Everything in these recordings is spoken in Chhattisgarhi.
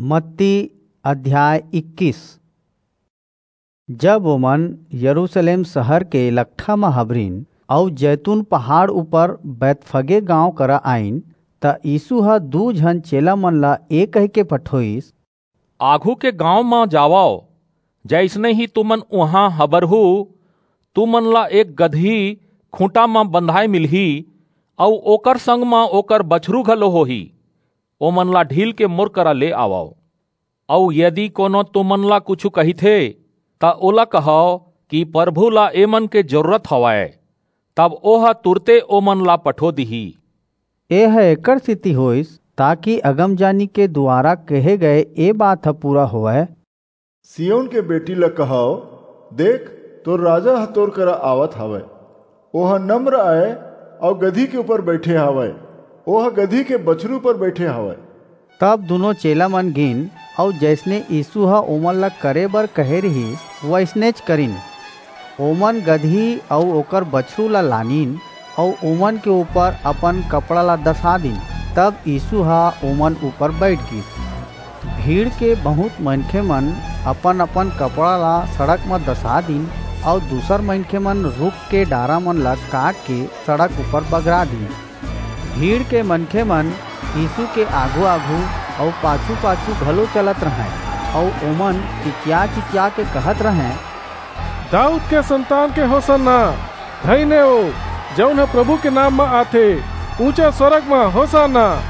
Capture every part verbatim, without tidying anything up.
मत्ती अध्याय इक्कीस। जब ओमन यरूशलेम शहर के लकठा म हबरिन अऊ जैतून पहाड़ ऊपर बैतफगे गांव करा आईन, त यीशु ह दू झन चेला मन ला ए कहिके पठोईस, आघू के गांव म जावव, जइसने ही तुमन उहां हबरहू, तुमन ला एक गदही खूंटा म बंधाय मिलही, अऊ ओकर संग म ओकर बछरू घलो होही। ओमन ला ढील के मोर करा ले आवव। अऊ यदि कोनो तुमन ला कुछू कहिथे, त ओला कहव कि परभू ला एमन के जरूरत हवय, तब ओह तुरते ओमन ला पठो दिही। एह एकर सेती होईस, ताकि अगमजानी के दुवारा कहे गए ए बात ह पूरा होवय। सिय्योन के बेटी ला कहव, देख, तोर राजा ह तोर करा आवत हवय। ओह नम्र अय अऊ गदही के ऊपर बइठे हवय। ओह गदही के बछरू ऊपर बइठे हवय। तब दूनों चेला मन गिन, अऊ जइसने यीशु ह ओमन ला करे बर कहे रिहिस, वइसनेच करिन। ओमन गदही अऊ ओकर बछरू ला लानिन, अऊ ओमन के ऊपर अपन कपड़ा ला दसा दिन। तब यीशु ह ओमन ऊपर बइठ गीस। भीड़ के बहुंत मनखे मन अपन-अपन कपड़ा ला सड़क म दसा दीन, अऊ दूसर मनखे मन रूख के डारा मन ला काट के सड़क ऊपर बगरा दीन। भीड़ के मनखे मन यीशु के आघू-आघू अऊ पाछू-पाछू घलो चलत रहंय, अऊ ओमन चिचिया-चिचिया के कहत रहंय, दाऊद के संतान के होसन्ना, धइन ए ओ, जऊन ह प्रभु के नाम म आथे, ऊंचा स्वरग म होसन्ना।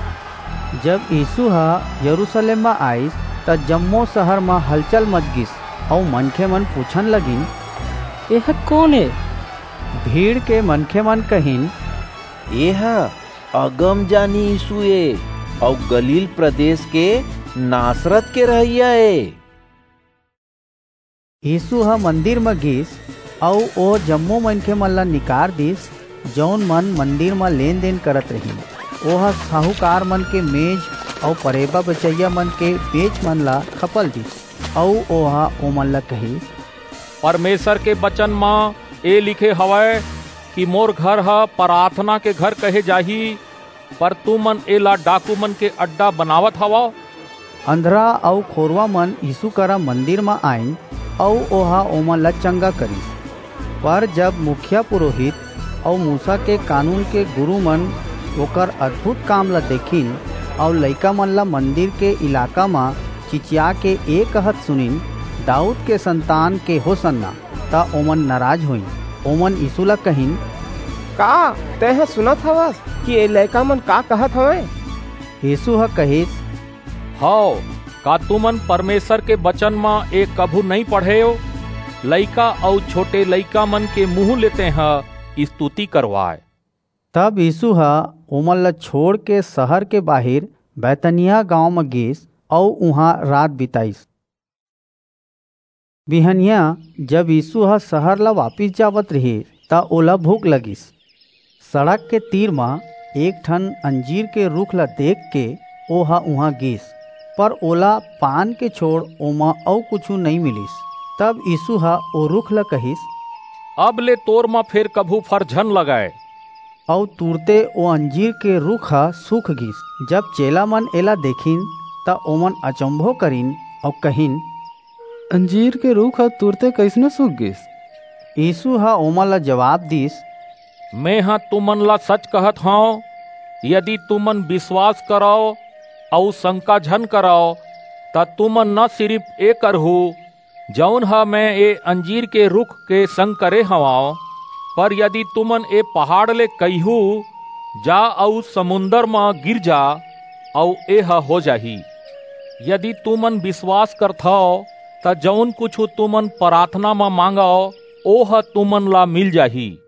जब यीशु ह यरूशलेम म आईस, त जम्मो शहर म हलचल मच गीस, अऊ मनखे मन पूछन लगिन, एह कोन ए? भीड़ के मनखे मन कहिन, एह अगमजानी यीशु ए, अऊ गलील प्रदेश के नासरत के रहइया ए। यीशु ह मंदिर म गीस, अऊ ओ जम्मो मनखे मन ला निकार दीस, जऊन मन मंदिर म लेन-देन करत रहिन। ओह साहूकार मन के मेज अऊ परेबा बेचइया मन के बेंच मन ला खपल दीस, अऊ ओह ओमन ला कहिस, परमेसर के बचन म ए लिखे हवय कि मोर घर ह पराथना के घर कहे जाही, पर तुमन एला डाकू मन के अड्डा बनावत हवव। अंधरा अऊ खोरवा मन यीसू करा मंदिर म आईन, अऊ ओहा ओमन ला चंगा करिस। पर जब मुखिया पुरोहित अऊ मूसा के कानून के गुरू मन ओकर अद्भुत काम ला देखिन, अऊ लइका मन ला मंदिर के इलाका म चिचिया के ए कहत सुनिन, "दाऊद के संतान के होसन्ना," त ओमन नाराज होइन। ओमन यीसू ला कहिन, "का तेंह सुनत हवस कि ए लइका मन का कहत हवंय?" यीसू ह कहिस, "हव, का तुमन परमेसर के बचन म ए कभू नइं पढ़ेव? लइका अऊ छोटे लइका मन के मुहूं ले तेंह स्तुति करवाय।" तब यीसू ह ओमन ला छोंड़ के सहर के बाहिर बैतनिय्याह गांव म गीस अऊ उहां रात बिताईस। बिहनियां, जब यीसू ह सहर ला वापिस जावत रिहिस, त ओला भूख लगिस। सड़क के तीर म एक ठन अंजीर के रूख ला देखके ओह उहां गीस, पर ओला पान के छोंड़ ओमा अऊ कुछू नइं मिलिस। तब यीसू ह ओ रूख ला कहिस, "अब ले तोर म फेर कभू फर झन लगय।" अऊ तुरते ओ अंजीर के रूख ह सूख गीस। जब चेला मन एला देखिन, त ओमन अचंभो करिन अऊ कहिन, "अंजीर के रूख ह तुरते कइसने सूख गीस?" यीसू ह ओमन ला जबाब दीस, "मेंह तुमन ला सच कहत हंव, यदि तुमन बिसवास करव अऊ संका झन करव, त तुमन न सिरिप ए करहू, जऊन ह मेंह ए अंजीर के रूख के संग करे हवंव, पर यदि तुमन ए पहाड़ ले कहिहू, 'जा अऊ समुंदर म गिर जा,' अऊ एह हो जाही। यदि तुमन बिसवास करथव, त जऊन कुछू तुमन पराथना म मांगव, ओह तुमन ला मिल जाही।"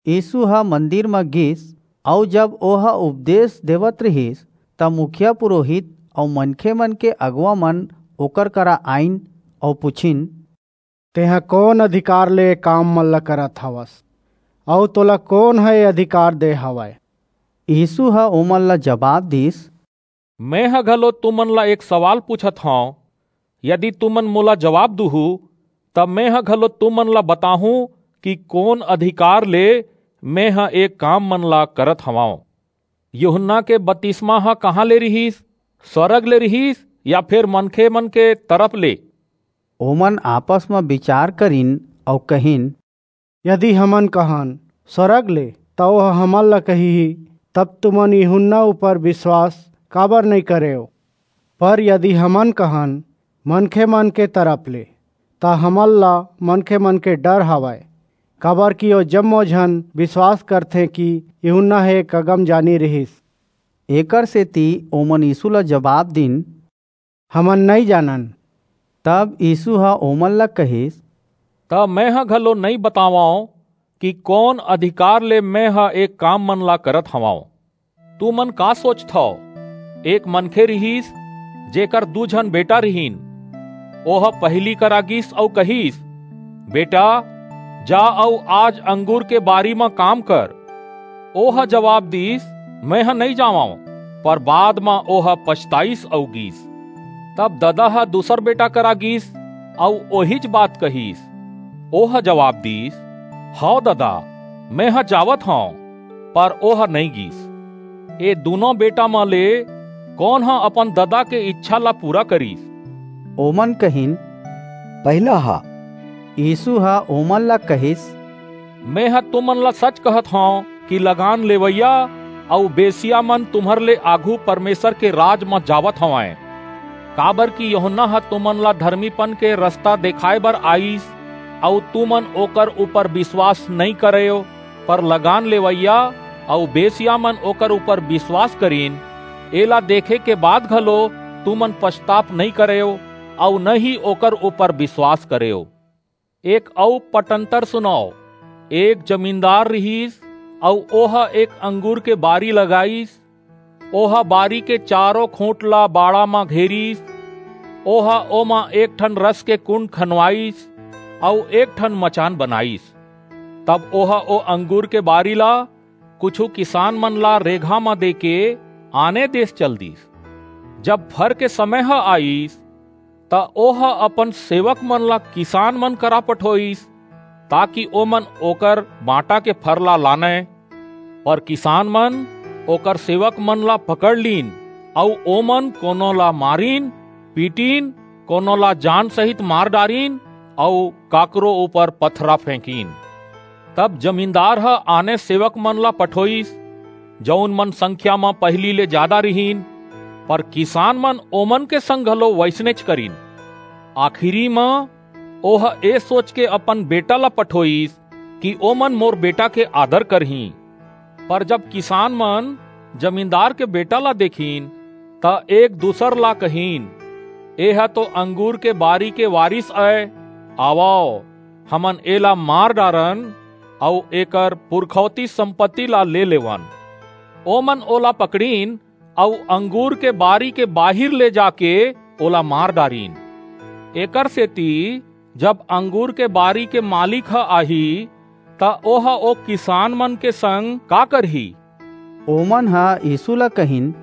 यीसू ह मंदिर म गीस, अऊ जब ओह उपदेस देवत रिहिस, त मुखिया पुरोहित अऊ मनखे मन के अगुवा मन ओकर करा आईन अऊ पुछिन, "तेंह कोन अधिकार ले ए काम मन ला करत हवस, अऊ तोला कोन ह ए अधिकार दे हवय?" यीसू ह ओमन ला जबाब दीस, "मेंह घलो तुमन ला एक सवाल पूछत हंव, यदि तुमन मोला जबाब दूहू, त मेंह घलो तुमन ला बताहूं कि कोन अधिकार ले मेंह ए काम मन ला करत हवंव। यूहन्ना के बतिसमा ह कहां ले रिहिस? स्वर्ग ले रिहिस या फेर मनखे मन के तरफ ले? ओमन आपस म बिचार करिन अऊ कहिन, यदि हमन कहन, "स्वर्ग ले," त ओह हमन ला कहिही, "तब तुमन यूहन्ना ऊपर विश्वास काबर नइं करेव?" पर यदि हमन कहन, "मनखे मन के तरफ ले," त हमन ला मनखे मन के डर हवय, काबर कि ओ जम्मो झन विश्वास करथें कि यूहन्ना ह एक अगमजानी रिहिस। एकर सेति ओमन यीशु ला जबाब दीन, "हमन नइं जानन।" तब यीशु ह ओमन ला कहिस, "त मेंह घलो नइं बतावंव कि कोन अधिकार ले मेंह ए काम मन ला करत हवंव। तुमन का सोचथव? एक मनखे रिहिस, जेकर दू झन बेटा रिहिन। ओह पहिली करा गीस अऊ कहिस, 'बेटा, जा अऊ आज अंगूर के बारी म काम कर।' ओह जबाब दीस, 'मेंह नइं जावंव।' पर बाद म ओह पछताईस अऊ गीस। तब ददा ह दूसर बेटा करा गीस अऊ ओहीच बात कहिस। ओह जबाब दीस, 'हव ददा, मेंह जावत हंव।' पर ओह नइं गीस। ए दूनों बेटा म ले कोन ह अपन ददा के इच्छा ला पूरा करिस?" ओमन कहिन, "पहिला ह।" यीशु ह ओमन ला कहिस, "मेंह तुमन ला सच कहत हंव कि लगान लेवइया अऊ बेसिया मन तुम्हर ले आघू परमेसर के राज म जावत हवंय। काबर कि यूहन्ना ह तुमन ला धरमीपन के रसता देखाय बर आईस, अऊ तुमन ओकर ऊपर बिसवास नइं करेव, पर लगान लेवइया अऊ बेसिया मन ओकर ऊपर बिसवास करिन। एला देखे के बाद घलो तुमन पछताप नइं करेव, अऊ न ही ओकर ऊपर बिसवास करेव।" एक अऊ पटंतर सुनव। एक जमींदार रिहिस, अऊ ओह एक अंगूर के बारी लगाईस। ओह बारी के चारों खूंट ला बाड़ा म घेरिस। ओह ओमा एक ठन रस के कुंड खनवाईस, अऊ एक ठन मचान बनाईस। तब ओह ओ अंगूर के बारी ला कुछू किसान मन ला रेघा म देके आने देस चल दीस। जब फर के समय ह आईस, त ओह अपन सेवक मन ला किसान मन करा पठोईस, ताकि ओमन ओकर बांटा के फर ला लानय। पर किसान मन ओकर सेवक मन ला पकड़ लीन, अऊ ओमन कोनो ला मारिन, पीटिन, कोनो ला जान सहित मार डारिन, अऊ काकरो ऊपर पथरा फेंकिन। तब जमींदार ह आने सेवक मन ला पठोईस, जऊन मन संख्या म पहिली ले जादा रिहिन, पर किसान मन ओमन के संग घलो वइसनेच करिन। आखिरी म ओह ए सोच के अपन बेटा ला पठोईस कि ओमन मोर बेटा के आदर करहीं। पर जब किसान मन जमींदार के बेटा ला देखिन, त एक दूसर ला कहिन, "एह तो अंगूर के बारी के वारिस अय। आवव, हमन एला मार डारन अऊ एकर पुरखौती संपत्ति ला ले लेवन।" ओमन ओला पकड़िन अऊ अंगूर के बारी के बाहिर ले जाके ओला मार डारिन। एकर सेती जब अंगूर के बारी के मालिक ह आही, त ओह ओ किसान मन के संग का करही? ओमन ह यीशु ला कहिन,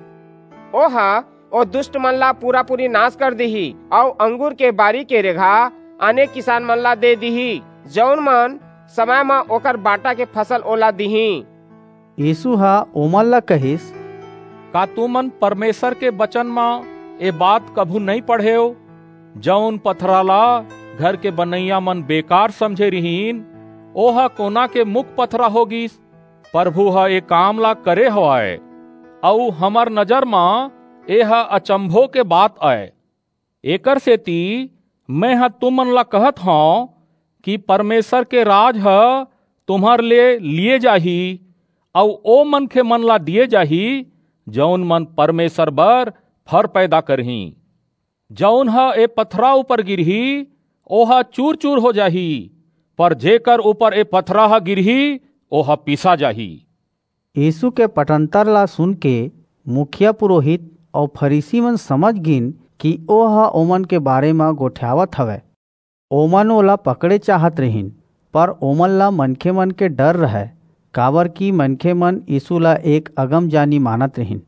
ओह ओ दुष्ट मन ला पूरा-पूरी नाश कर दिही, अऊ अंगूर के बारी के रेघा आने किसान मन ला दे दिही, जऊन मन समय म ओकर बांटा के फसल ओला दिही। यीशु ह ओमन ला कहिस, का तुमन परमेसर के बचन म ए बात कभू नइं पढ़ेव, जऊन पथरा ला घर के बनइया मन बेकार समझे रिहिन, ओह कोना के मुख पथरा हो गीस? परभू ह ए काम ला करे हवय, अऊ हमर नजर म एह अचंभो के बात अय। एकर सेती मेंह तुमन ला कहत हंव कि परमेसर के राज ह तुम्हर ले लिये जाही, अऊ ओ मनखे मन ला दिये जाही, जऊन मन परमेसर बर फर पैदा करहीं। जऊन ह ए पथरा ऊपर गिरही, ओह चूर-चूर हो जाही, पर जेकर ऊपर ए पथरा ह गिरही, ओह पीसा जाही। यीशु के पटंतर ला सुनके मुखिया पुरोहित अऊ फरीसी मन समझ गीन कि ओह ओमन के बारे म गोठियावत हवय। ओमन ओला पकड़े चाहत रिहिन, पर ओमन ला मनखे मन के डर रहय, काबर कि मनखे मन यीशु ला एक अगमजानी मानत रिहिन।